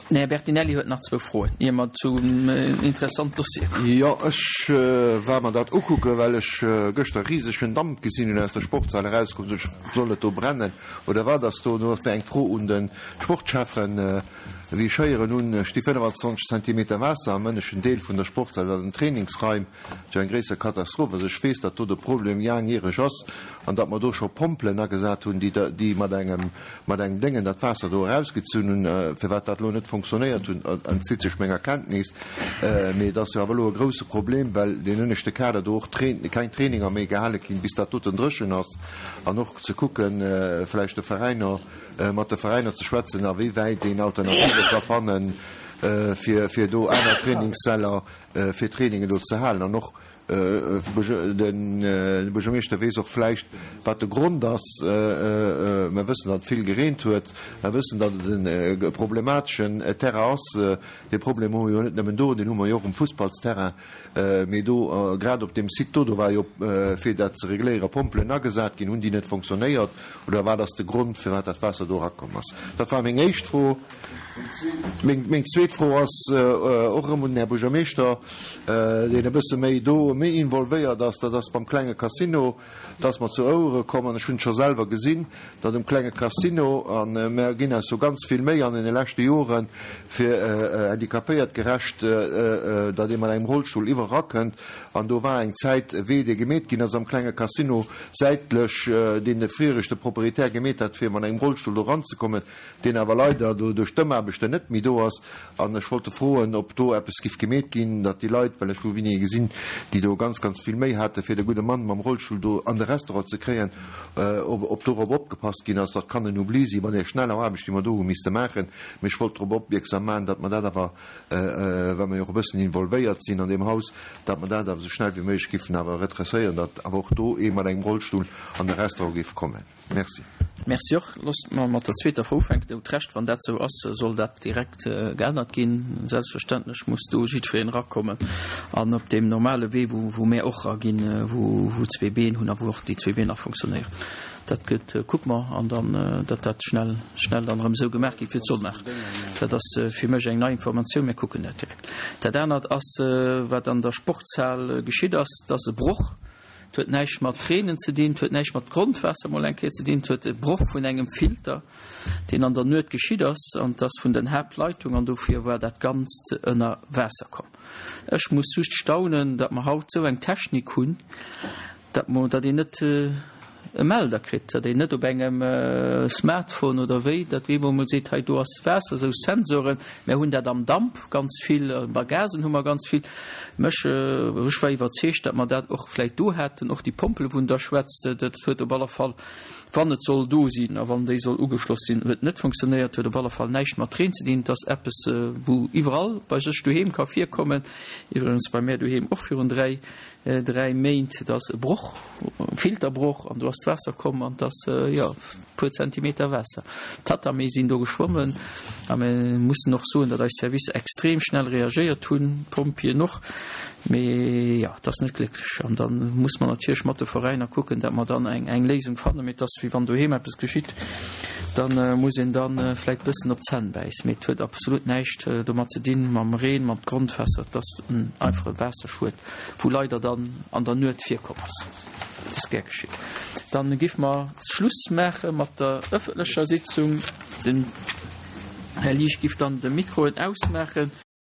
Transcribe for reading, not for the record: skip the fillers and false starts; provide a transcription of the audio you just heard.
Den Här Bertinelli huet nach zwou Froen, ier mer zum interessant Dossier kommen. Jo, ech war mer dat ukucken, well ech gëschter risegen Damp gesinn hunn aus der Sportshal erauskomm. Sot ech, soll et do brennen oder wat ass do? Do ass mir eng Fro un de Sportschäffen, wéi ech héieren hunn, sti 25 Zentimeter Waasser am ënneschten Deel vun der Sportshal, dat an den Trainingsraim. Sou eng gréisser Katastroph ass. Ech weess, datt do de Problem laangjäreg ass an datt mer do scho Pompelen agesat hunn, déi déi mat engem mat engem Déngen dat Waasser do erausgezunn hunn. Firwat dat elo net fonctionnéiert hunn, entzitt sech menger Kenntnis. Mee et ass jo awer elo e grouse Problem, well deen ënneschte Kader do och keng Traininger méi gehale ginn, bis dat doten dréchen ass. An och ze kucken, vläicht de Veräiner, mat de Veräiner ze schwätzen, a wéi wäit een Alternative ka fannen, fir fir do aner Trainingssäller fir Trainingen do ze halen. An och de Buergermeeschter weess och vläicht, wat de Grond ass. Mer wëssen, datt et vill gereent huet. Mer wëssen, datt et e problemateschen Terrain ass. Dee Problem hu mer jo net nëmmen do, deen hu mer jo och um Fussballsterrain. Mee do, grad op deem Site do, do war jo, fir dat ze regléieren, Pompelen agesat ginn. Hunn déi net fonctionnéiert oder wat ass de Grond, firwat dat Waasser do erakomm ass? Dat war meng éischt Fro. Meng zweet Fro ass och erëm un den Här Buergermeeschter, deen e bësse méi do méi involvéiert ass. Dat ass beim klenge Casino. Et ass mer zu Ouere komm, an ech hunn et scho selwer gesinn, datt um klenge Casino, a mer ginn eis do ganz vill Méi an deene leschte Joren, fir handicapéiertgerecht, datt ee mat engem Rollstull iwwer erakënnt, an do war eng Zäit e Wee, dee gemeet ginn ass am klenge Casino säitlech, deen de viregte Proprietär gemeet hat, fir mat engem Rollstull do eranzekommen. deen awer leider do duerch d'Ëmaarbechten net méi do ass, an ech wollte froen, ob do eppes giff gemeet ginn, datt déi Leit, well ech hu Winier gesinn, déi do ganz, ganz vill Méi hate fir de gudde Mann mam Rollstull do an de Restaurant ze kréien, ob dorop opgepasst ginn ass. Dat kann en Oubli si bei där schneller Aarbecht, déi mer do hu misste maachen, mee ech wollt drop opmierksam maachen, datt mer dat awer, well mer jo och e bëssen involvéiert sinn an deem Haus, datt mer dat awer esou schnell wéi méiglech giffen awer redresséieren, datt awer och do ee mat engem Rollstull an de Restaurant géif kommen. Merci. Merci och. Loosst mer mat der zweeter Fro ufänken. Dir hutt Recht, wann dat esou ass, soll dat direkt geännert ginn. Selbstverständlech muss do jiddwereen erakommen an op deem normale Wee, wou mär och eraginn, wou zwee Been hunn a wou och déi zwee Been nach funktionéieren. Dat gëtt, kucke mer an dann, datt dat schnell, schnell dann erëm esou gemaach gétt, wéi et soll maachen. Dat ass fir mech eng nei Informatioun. Mir kucken dat direkt. Dat anert ass, wat an der Sportshal geschitt ass, dat ass e Broch. Et huet näischt mat Reenen ze dinn, et huet näischt mat Grondwaasser mol eng Kéier ze dinn, et huet e Broch vun engem Filter, deen an der Nuet geschitt ass, an et ass vun den Haaptleitung, an dofir war dat Ganzt ënner Waasser komm. Ech muss just staunen, datt mer haut esou eng Technik hunn, datt mer, datt een net e Melder kritt, datt een net op engem Smartphone oder wéi, datt wee mol seet, hei do ass Waasser, esou Sensoren. Mär hunn dat am Damp ganz vill, bei Gasen hu mer ganz vill. Mech, ech war iwwerzeegt, datt mer dat och vläicht do haten, och déi Pompele wou en da schwätzt, dat huet op alle Fall, wann et soll do sinn a wann déi soll ugeschloss sinn, huet net funktionéiert, huet op alle Fall näischt mat Reen ze dinn. Et ass eppes wou iwwerall bei sech doheem ka virkommen, iwwregens bei mär doheem och virun 3 3 Méint, et ass e Broch, e Filterbroch, an do ass d'Waasser komm an et ass, jo, e puer Zentimeter Waasser. D'Tatami sinn do geschwommen a mir mussen och soen, datt eis Servicer extrem schnell reagéiert hunn, d'Pompjeeën och. Mee jo, et ass net glécklech an da muss mer natierlech mat de Veräiner kucken, datt mer dann eng, eng Léisung fannen. Mee et ass wéi wann doheem eppes geschitt, da muss een da vläicht bëssen op d'Zänn bäissen. Mee et huet absolut näischt domat ze dinn, mam Reen, mam Grondwaasser. Et ass en einfache Waasserschued. wou leider dann an der Nuet virkomm ass. Dat ass gär geschitt. Dann géife mer Schluss maache mat der ëffentlecher Sitzung. Den Här Liesch giff dann de Mikroen ausmaachen.